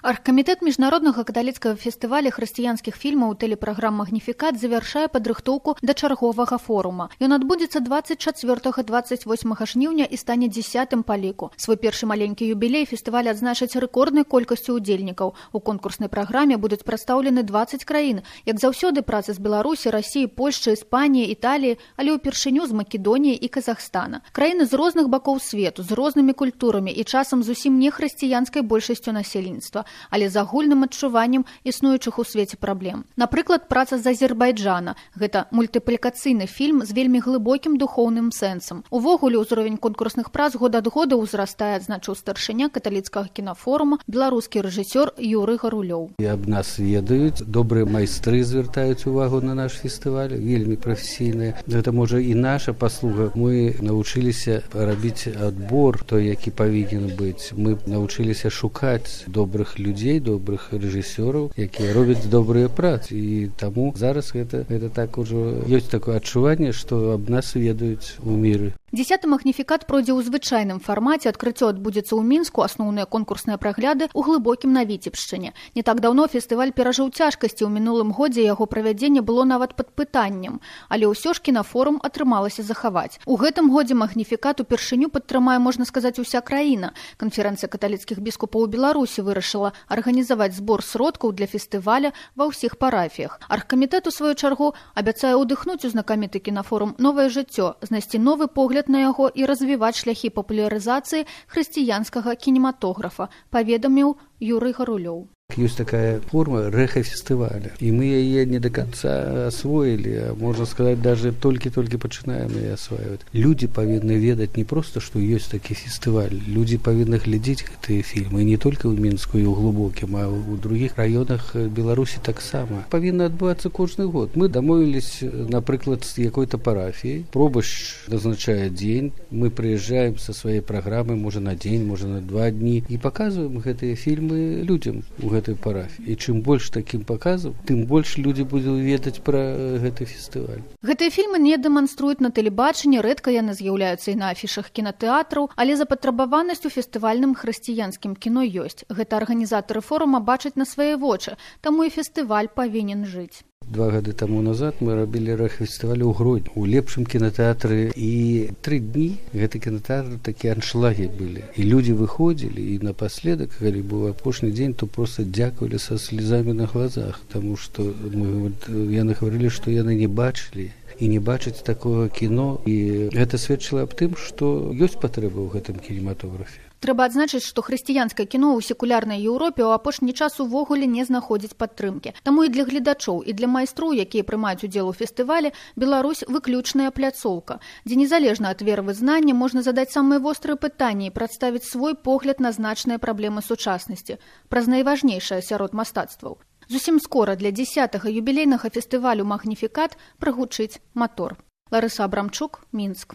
Аргкамітэт міжнароднага каталіцкага фестываля хрысціянскіх фільмаў тэлепраграм «Магніфікат» завяршае падрыхтоўку да чарговага форума. Ён адбудзецца 24-28 жніўня і стане 10-м па ліку. Свой першы маленькі юбілей фестываль адзначыць рэкорднай колькасцю ўдзельнікаў. У конкурснай праграме будуць прадстаўлены 20 краін. Як заўсёды, працы з Беларусі, Расіі, Польшчы, Іспаніі, Італіі, але ўпершыню з Македоніі і Казахстана. Краіны з розных бакоў свету, з рознымі культурамі і часам зусім не хрысціянскай большасцю насельніцтва, але з агульным адчуваннем існуючых у свеце праблем. Напрыклад, праца з Азербайджана. Гэта мультыплікацыйны фільм з вельмі глыбокім духоўным сэнсам. Увогуле, ўзровень конкурсных прац год ад года ўзрастае, адзначыў старшыня каталіцкага кінафорума, беларускі рэжысёр Юрый Гарулёў. І аб нас ведаюць, добрыя майстры звяртаюць увагу на наш фестываль, вельмі прафесійныя. Гэта можа і наша паслуга. Мы навучыліся рабіць адбор той, які павінен быць. Мы навучыліся шукаць добрых людзей, добрых рэжысёраў, якія робяць добрыя працы. І таму зараз гэта так ужо ёсць такое адчуванне, што аб нас ведаюць у міры. 10-й «Магніфікат» пройдзе ў звычайным фармаце. Адкрыццё адбудзецца ў Мінску, асноўныя конкурсныя прагляды ў глыбокім на Віцебшчыне. Не так даўно фестываль перажыў цяжкасці. У мінулым годзе яго правядзенне было нават пад пытаннем. Але ўсё ж кінафорум атрымалася захаваць. У гэтым годзе «Магніфікат» упершыню падтрымае, можна сказаць, уся краіна. Канферэнцыя каталіцкіх біскупаў у Беларусі вырашыла арганізаваць збор сродкаў для фестываля ва ўсіх парафіях. Аргкамітэт, у сваю чаргу, абяцае ўдыхнуць у знакаміты кінафорум новае жыццё, знайсці новы погляд на яго і развіваць шляхі папулярызацыі хрысціянскага кінематографа, паведаміў Юрый Гарулёў. Ёсць такая форма рэха-фестываля, і мы яе не до конца освоілі, а можна сказаць, даже толькі пачынаем яе асваиваць. Людзі павінны ведаць не проста, што ёсць такі фестываль. Людзі павінны глядзець гэтыя фільмы не толькі ў Мінску і ў глубокім, а ў другіх раёнах Беларусі таксама. Павінна адбывацца кожны год. Мы дамовіліся, напрыклад, з якой-то парафіяй. Пробач назначае дзень, мы прыязджаем са сваёй праграмы, можа на дзень, можа на 2 дні, і паказваем гэтыя фільмы людзям у гэтай парафіі. І чым больш такім паказаў, тым больш людзі будуць ведаць пра гэты фестываль. Гэтыя фільмы не дэманструюць на тэлебачанні, рэдка яны з'яўляюцца і на афішах кінатэатраў, але запатрабаванасць у фестывальным хрысціянскім кіно ёсць. Гэта арганізатары форума бачаць на свае вочы, таму і фестываль павінен жыць. 2 гады таму назад мы рабілі рэха-фестываль у Гродні, у лепшым кінатэатры, і 3 дні гэты кінатэатр такія аншлагі былі. І людзі выходзілі, і напаследак, калі быў апошні дзень, то проста дзякавалі са слезамі на глазах, таму што яны гаварылі, што яны не бачылі і не бачаць такога кіно, і гэта сведчыла аб тым, што ёсць патрэба ў гэтым кінематографе. Трэба адзначыць, што хрысціянскае кіно ў секулярнай Еўропе ў апошні час увогуле не знаходзіць падтрымкі. Таму і для гледачоў, і для майстроў, якія прымаюць удзел у фестывалі, Беларусь выключная пляцоўка, дзе незалежна ад веравызнання можна задаць самыя вострыя пытанні і прадставіць свой погляд на значныя праблемы сучаснасці, праз найважнейшае сярод мастацтваў. Зусім скора для 10-га юбілейнага фестывалю «Магніфікат» прагучыць матор. Ларыса Абрамчук, Мінск.